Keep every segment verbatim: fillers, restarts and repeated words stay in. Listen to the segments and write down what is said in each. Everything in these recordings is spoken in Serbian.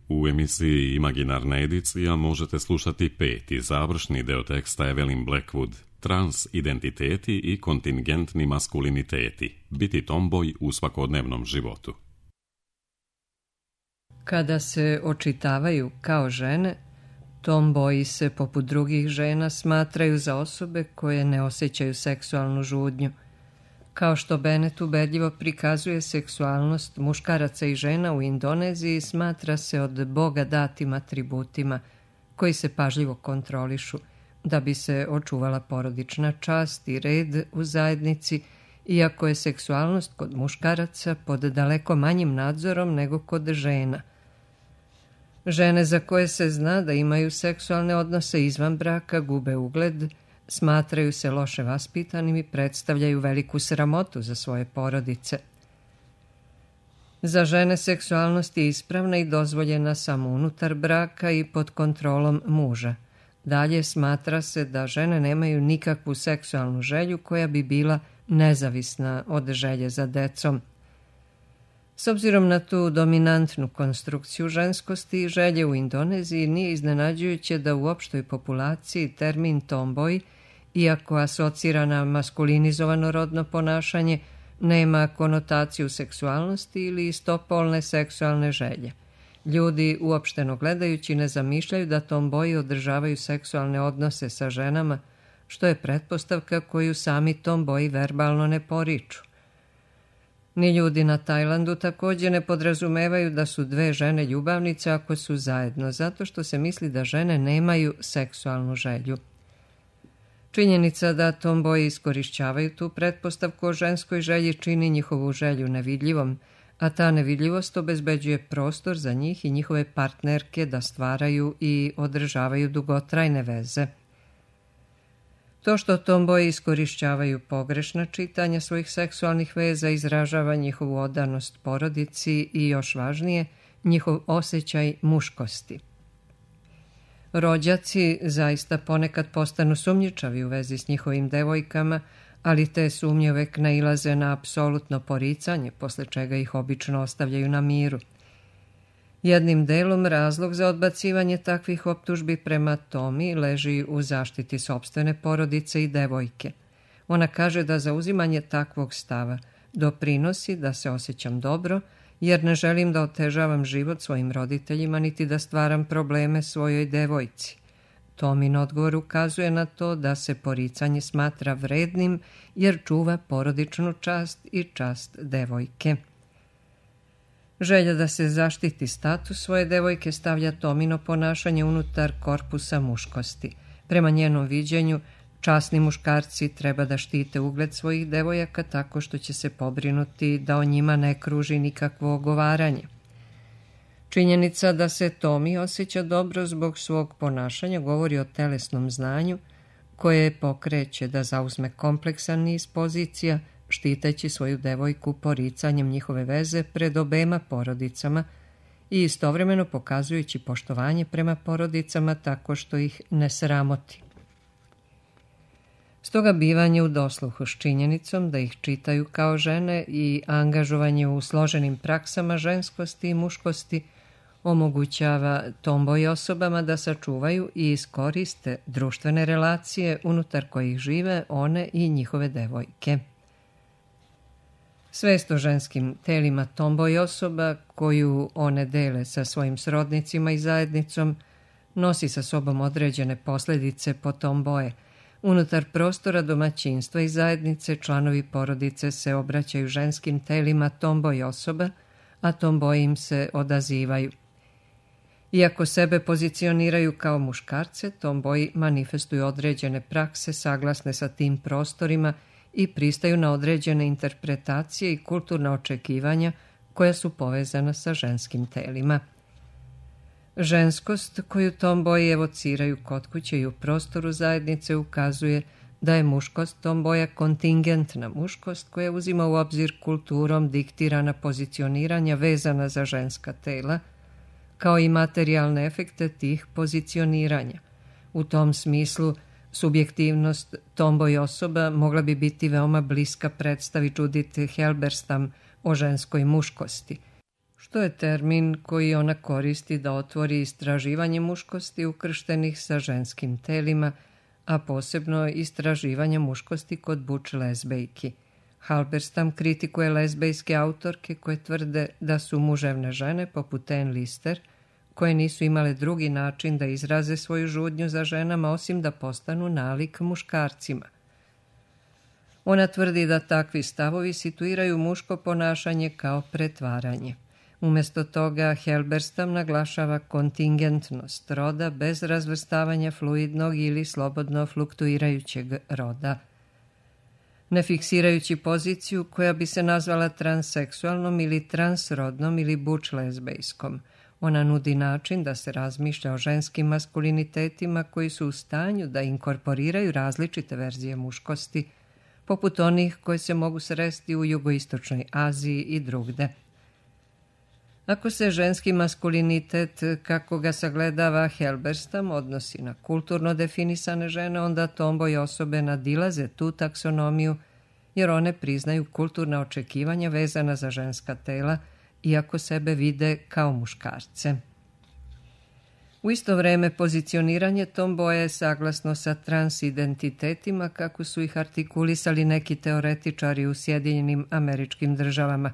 U emisiji Imaginarna edicija možete slušati peti završni deo teksta Evelyn Blackwood, Transidentiteti i kontingentni maskuliniteti, biti tomboj u svakodnevnom životu. Kada se očitavaju kao žene, tomboji se poput drugih žena smatraju za osobe koje ne osjećaju seksualnu žudnju. Kao što Bennett ubedljivo prikazuje seksualnost muškaraca i žena u Indoneziji, smatra se od Boga datim atributima koji se pažljivo kontrolišu da bi se očuvala porodična čast i red u zajednici, iako je seksualnost kod muškaraca pod daleko manjim nadzorom nego kod žena. Žene za koje se zna da imaju seksualne odnose izvan braka gube ugled, smatraju se loše vaspitanim i predstavljaju veliku sramotu za svoje porodice. Za žene seksualnost je ispravna i dozvoljena samo unutar braka i pod kontrolom muža. Dalje smatra se da žene nemaju nikakvu seksualnu želju koja bi bila nezavisna od želje za decom. S obzirom na tu dominantnu konstrukciju ženskosti i želje u Indoneziji, nije iznenađujuće da u opštoj populaciji termin tomboj, iako asocira na maskulinizovano rodno ponašanje, nema konotaciju seksualnosti ili istopolne seksualne želje. Ljudi, uopšteno gledajući, ne zamišljaju da tomboji održavaju seksualne odnose sa ženama, što je pretpostavka koju sami tomboji verbalno ne poriču. Ni ljudi na Tajlandu također ne podrazumevaju da su dve žene ljubavnice ako su zajedno, zato što se misli da žene nemaju seksualnu želju. Činjenica da tomboji iskorišćavaju tu pretpostavku o ženskoj želji čini njihovu želju nevidljivom, a ta nevidljivost obezbeđuje prostor za njih i njihove partnerke da stvaraju i održavaju dugotrajne veze. To što tomboji iskorišćavaju pogrešna čitanja svojih seksualnih veza izražava njihovu odanost porodici i, još važnije, njihov osjećaj muškosti. Rođaci zaista ponekad postanu sumnjičavi u vezi s njihovim devojkama, ali te sumnje uvek nailaze na apsolutno poricanje, posle čega ih obično ostavljaju na miru. Jednim delom razlog za odbacivanje takvih optužbi prema Tomi leži u zaštiti sopstvene porodice i devojke. Ona kaže da zauzimanje takvog stava doprinosi da se osjećam dobro, jer ne želim da otežavam život svojim roditeljima niti da stvaram probleme svojoj devojci. Tomin odgovor ukazuje na to da se poricanje smatra vrednim jer čuva porodičnu čast i čast devojke. Želja da se zaštiti status svoje devojke stavlja Tomino ponašanje unutar korpusa muškosti. Prema njenom viđenju, časni muškarci treba da štite ugled svojih devojaka tako što će se pobrinuti da o njima ne kruži nikakvo ogovaranje. Činjenica da se Tomi osjeća dobro zbog svog ponašanja govori o telesnom znanju koje pokreće da zauzme kompleksan niz pozicija, štiteći svoju devojku poricanjem njihove veze pred obema porodicama i istovremeno pokazujući poštovanje prema porodicama tako što ih ne sramoti. Stoga bivanje u dosluhu s činjenicom da ih čitaju kao žene i angažovanje u složenim praksama ženskosti i muškosti omogućava tomboj osobama da sačuvaju i iskoriste društvene relacije unutar kojih žive one i njihove devojke. Svest o ženskim telima tomboj osoba, koju one dele sa svojim srodnicima i zajednicom, nosi sa sobom određene posljedice po tomboje. Unutar prostora domaćinstva i zajednice članovi porodice se obraćaju ženskim telima tomboj osoba, a tomboji im se odazivaju. Iako sebe pozicioniraju kao muškarce, tomboji manifestuju određene prakse saglasne sa tim prostorima i pristaju na određene interpretacije i kulturna očekivanja koja su povezana sa ženskim telima. Ženskost koju tomboji evociraju kod kuće i u prostoru zajednice ukazuje da je muškost tomboja kontingentna muškost koja uzima u obzir kulturom diktirana pozicioniranja vezana za ženska tela, kao i materijalne efekte tih pozicioniranja. U tom smislu, subjektivnost tomboj osoba mogla bi biti veoma bliska predstavi Judith Halberstam o ženskoj muškosti, što je termin koji ona koristi da otvori istraživanje muškosti ukrštenih sa ženskim telima, a posebno istraživanje muškosti kod butch lezbejki. Halberstam kritikuje lezbejske autorke koje tvrde da su muževne žene poput Anne Lister, koje nisu imale drugi način da izraze svoju žudnju za ženama osim da postanu nalik muškarcima. Ona tvrdi da takvi stavovi situiraju muško ponašanje kao pretvaranje. Umjesto toga Halberstam naglašava kontingentnost roda bez razvrstavanja fluidnog ili slobodno fluktuirajućeg roda. Ne fiksirajući poziciju koja bi se nazvala transseksualnom ili transrodnom ili butch lezbejskom, ona nudi način da se razmišlja o ženskim maskulinitetima koji su u stanju da inkorporiraju različite verzije muškosti, poput onih koje se mogu sresti u jugoistočnoj Aziji i drugde. Ako se ženski maskulinitet, kako ga sagledava Halberstam, odnosi na kulturno definisane žene, onda tomboy osobe nadilaze tu taksonomiju, jer one priznaju kulturna očekivanja vezana za ženska tela, iako sebe vide kao muškarce. U isto vreme pozicioniranje tomboja je saglasno sa transidentitetima, kako su ih artikulisali neki teoretičari u Sjedinjenim Američkim Državama.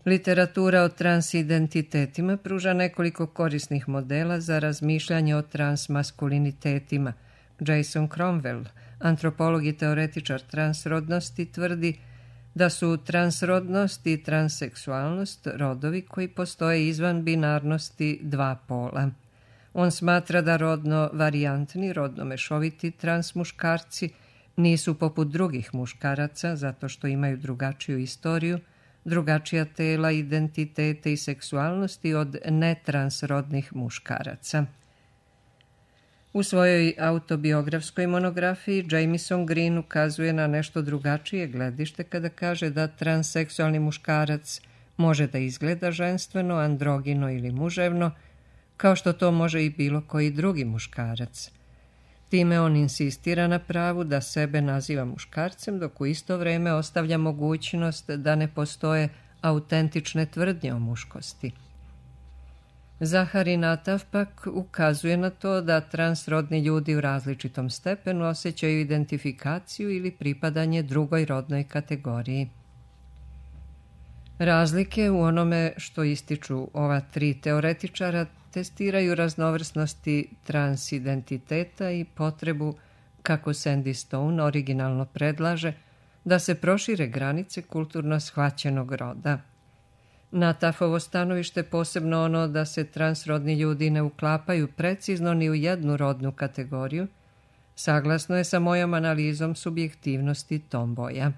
Literatura o transidentitetima pruža nekoliko korisnih modela za razmišljanje o transmaskulinitetima. Jason Cromwell, antropolog i teoretičar transrodnosti, tvrdi da su transrodnost i transseksualnost rodovi koji postoje izvan binarnosti dva pola. On smatra da rodno varijantni, rodno mešoviti transmuškarci nisu poput drugih muškaraca zato što imaju drugačiju istoriju, drugačija tela, identitete i seksualnosti od netransrodnih muškaraca. U svojoj autobiografskoj monografiji Jamieson Green ukazuje na nešto drugačije gledište kada kaže da transseksualni muškarac može da izgleda ženstveno, androgino ili muževno, kao što to može i bilo koji drugi muškarac. Time on insistira na pravu da sebe naziva muškarcem, dok u isto vreme ostavlja mogućnost da ne postoje autentične tvrdnje o muškosti. Zahari Natav pak ukazuje na to da transrodni ljudi u različitom stepenu osjećaju identifikaciju ili pripadanje drugoj rodnoj kategoriji. Razlike u onome što ističu ova tri teoretičara testiraju raznovrsnosti transidentiteta i potrebu, kako Sandy Stone originalno predlaže, da se prošire granice kulturno shvaćenog roda. Natafovo stanovište, posebno ono da se transrodni ljudi ne uklapaju precizno ni u jednu rodnu kategoriju, saglasno je sa mojom analizom subjektivnosti tomboja.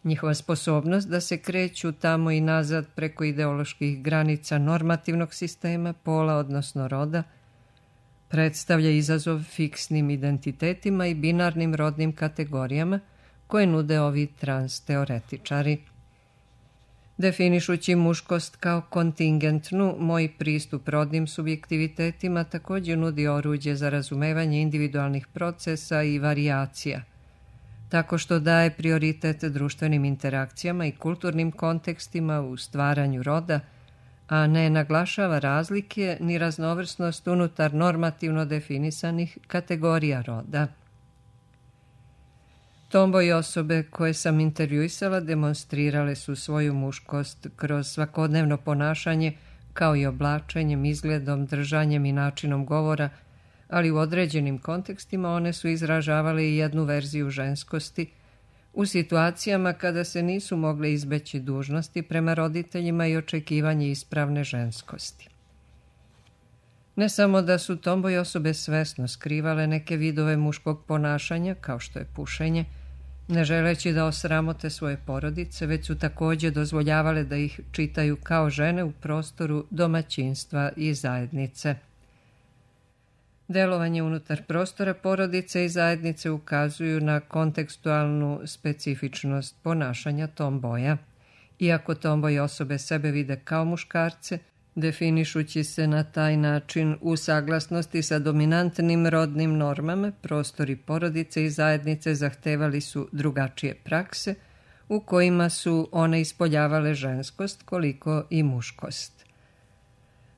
Njihova sposobnost da se kreću tamo i nazad preko ideoloških granica normativnog sistema, pola odnosno roda, predstavlja izazov fiksnim identitetima i binarnim rodnim kategorijama koje nude ovi transteoretičari. Definišući muškost kao kontingentnu, moj pristup rodnim subjektivitetima također nudi oruđe za razumevanje individualnih procesa i varijacija, tako što daje prioritet društvenim interakcijama i kulturnim kontekstima u stvaranju roda, a ne naglašava razlike ni raznovrsnost unutar normativno definisanih kategorija roda. Tomboy osobe koje sam intervjuisala demonstrirale su svoju muškost kroz svakodnevno ponašanje, kao i oblačenjem, izgledom, držanjem i načinom govora, ali u određenim kontekstima one su izražavale i jednu verziju ženskosti u situacijama kada se nisu mogle izbeći dužnosti prema roditeljima i očekivanje ispravne ženskosti. Ne samo da su tomboy osobe svesno skrivale neke vidove muškog ponašanja, kao što je pušenje, ne želeći da osramote svoje porodice, već su također dozvoljavale da ih čitaju kao žene u prostoru domaćinstva i zajednice. Delovanje unutar prostora porodice i zajednice ukazuju na kontekstualnu specifičnost ponašanja tomboja. Iako tomboy osobe sebe vide kao muškarce, definišući se na taj način u saglasnosti sa dominantnim rodnim normama, prostori porodice i zajednice zahtevali su drugačije prakse, u kojima su one ispoljavale ženskost koliko i muškost.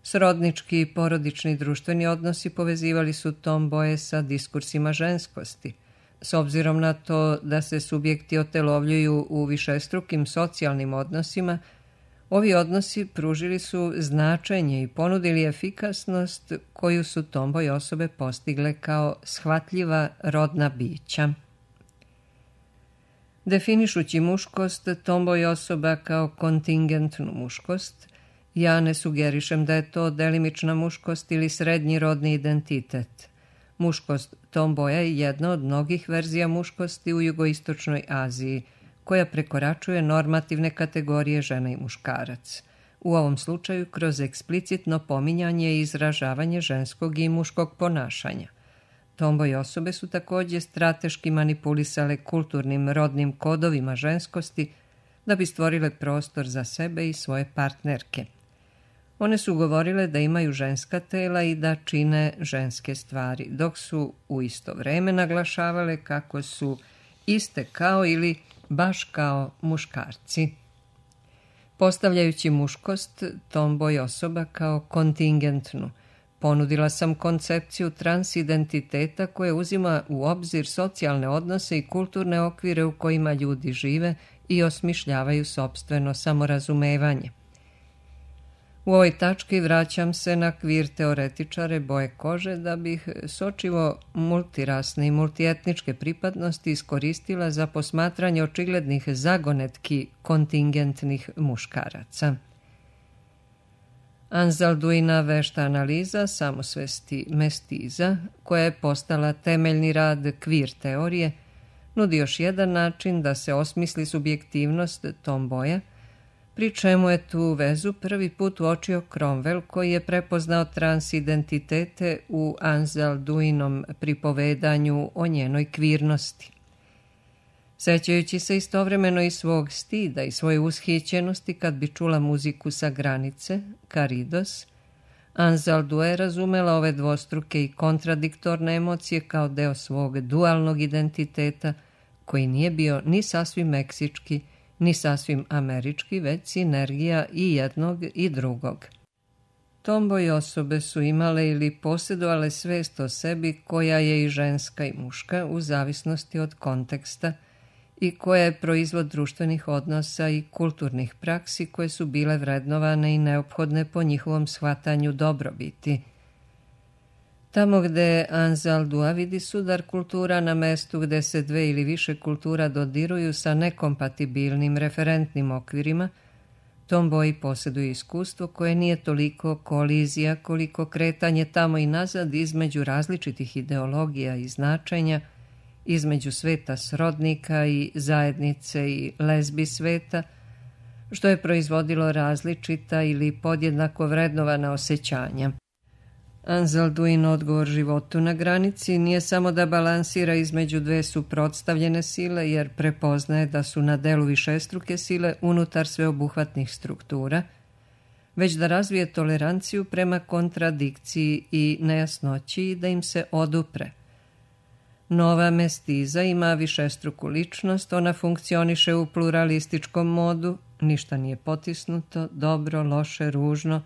Srodnički i porodični društveni odnosi povezivali su tomboje sa diskursima ženskosti. S obzirom na to da se subjekti otelovljuju u višestrukim socijalnim odnosima, ovi odnosi pružili su značenje i ponudili efikasnost koju su tomboj osobe postigle kao shvatljiva rodna bića. Definišući muškost tomboj osoba kao kontingentnu muškost, ja ne sugerišem da je to delimična muškost ili srednji rodni identitet. Muškost tomboja je jedna od mnogih verzija muškosti u jugoistočnoj Aziji, koja prekoračuje normativne kategorije žena i muškarac. U ovom slučaju kroz eksplicitno pominjanje i izražavanje ženskog i muškog ponašanja. Tomboj osobe su također strateški manipulisale kulturnim rodnim kodovima ženskosti da bi stvorile prostor za sebe i svoje partnerke. One su govorile da imaju ženska tela i da čine ženske stvari, dok su u isto vreme naglašavale kako su iste kao ili baš kao muškarci. Postavljajući muškost tomboj osoba kao kontingentnu, ponudila sam koncepciju transidentiteta koja uzima u obzir socijalne odnose i kulturne okvire u kojima ljudi žive i osmišljavaju sopstveno samorazumevanje. U ovoj tački vraćam se na kvir teoretičare boje kože da bih sočivo multirasne i multietničke pripadnosti iskoristila za posmatranje očiglednih zagonetki kontingentnih muškaraca. Anzalduina vešta analiza samosvesti mestiza, koja je postala temeljni rad kvir teorije, nudi još jedan način da se osmisli subjektivnost tomboja, pri čemu je tu vezu prvi put uočio Cromwell, koji je prepoznao transidentitete u Anzalduinom pripovedanju o njenoj kvirnosti. Sećajući se istovremeno i svog stida i svoje ushićenosti kad bi čula muziku sa granice, Karidos, Anzaldua je razumela ove dvostruke i kontradiktorne emocije kao deo svog dualnog identiteta, koji nije bio ni sasvim meksički, ni sasvim američki, već sinergija i jednog i drugog. Tomboj osobe su imale ili posjedovale svest o sebi koja je i ženska i muška u zavisnosti od konteksta i koja je proizvod društvenih odnosa i kulturnih praksi koje su bile vrednovane i neophodne po njihovom shvatanju dobrobiti. Tamo gde Anzaldua vidi sudar kultura na mestu gde se dve ili više kultura dodiruju sa nekompatibilnim referentnim okvirima, tomboji posjeduju iskustvo koje nije toliko kolizija koliko kretanje tamo i nazad između različitih ideologija i značenja, između sveta srodnika i zajednice i lezbi sveta, što je proizvodilo različita ili podjednako vrednovana osjećanja. Anzalduin odgovor životu na granici nije samo da balansira između dve suprotstavljene sile, jer prepoznaje da su na delu višestruke sile unutar sveobuhvatnih struktura, već da razvije toleranciju prema kontradikciji i nejasnoći i da im se odupre. Nova mestiza ima višestruku ličnost, ona funkcioniše u pluralističkom modu, ništa nije potisnuto, dobro, loše, ružno,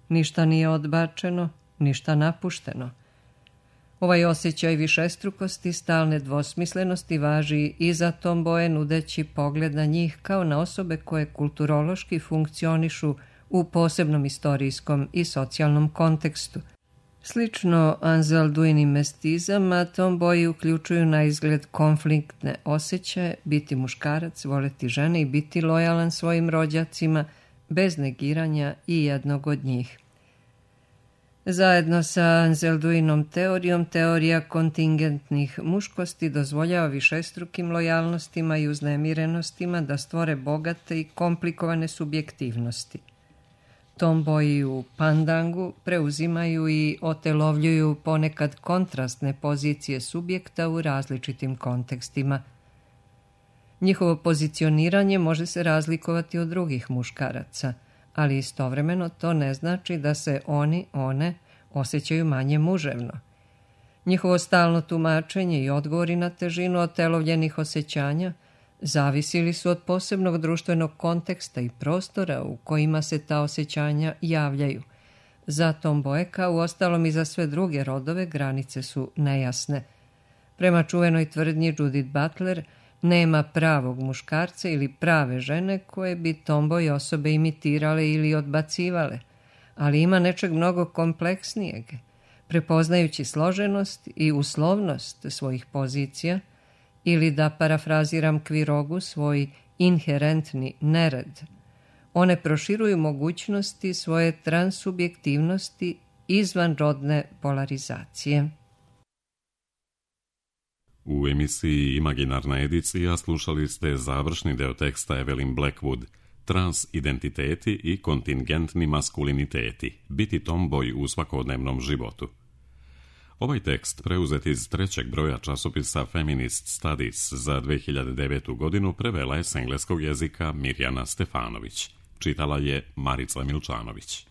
ništa nije odbačeno, ništa napušteno. Ovaj osjećaj višestrukosti, stalne dvosmislenosti važi i za tomboje, nudeći pogled na njih kao na osobe koje kulturološki funkcionišu u posebnom istorijskom i socijalnom kontekstu. Slično Anzalduinim mestizama, tomboji uključuju na izgled konfliktne osjećaje, biti muškarac, voleti žene i biti lojalan svojim rođacima, bez negiranja i jednog od njih. Zajedno sa Anzalduinom teorijom, teorija kontingentnih muškosti dozvoljava višestrukim lojalnostima i uznemirenostima da stvore bogate i komplikovane subjektivnosti. Tomboji u pandangu preuzimaju i otelovljuju ponekad kontrastne pozicije subjekta u različitim kontekstima. Njihovo pozicioniranje može se razlikovati od drugih muškaraca, ali istovremeno to ne znači da se oni, one, osjećaju manje muževno. Njihovo stalno tumačenje i odgovori na težinu otelovljenih osjećanja Zavisili su od posebnog društvenog konteksta i prostora u kojima se ta osjećanja javljaju. Za Tom Mboeka, uostalom i za sve druge rodove, granice su nejasne. Prema čuvenoj tvrdnji Judith Butler, nema pravog muškarca ili prave žene koje bi tomboj osobe imitirale ili odbacivale, ali ima nečeg mnogo kompleksnijeg. Prepoznajući složenost i uslovnost svojih pozicija, ili da parafraziram Kvirogu, svoj inherentni nered, one proširuju mogućnosti svoje transsubjektivnosti izvan rodne polarizacije. U emisiji Imaginarna edicija slušali ste završni deo teksta Evelyn Blackwood, Transidentiteti i kontingentni maskuliniteti, biti tomboj u svakodnevnom životu. Ovaj tekst, preuzet iz trećeg broja časopisa Feminist Studies za dve hiljade devetu. godinu, prevela je s engleskog jezika Mirjana Stefanović. Čitala je Marica Milčanović.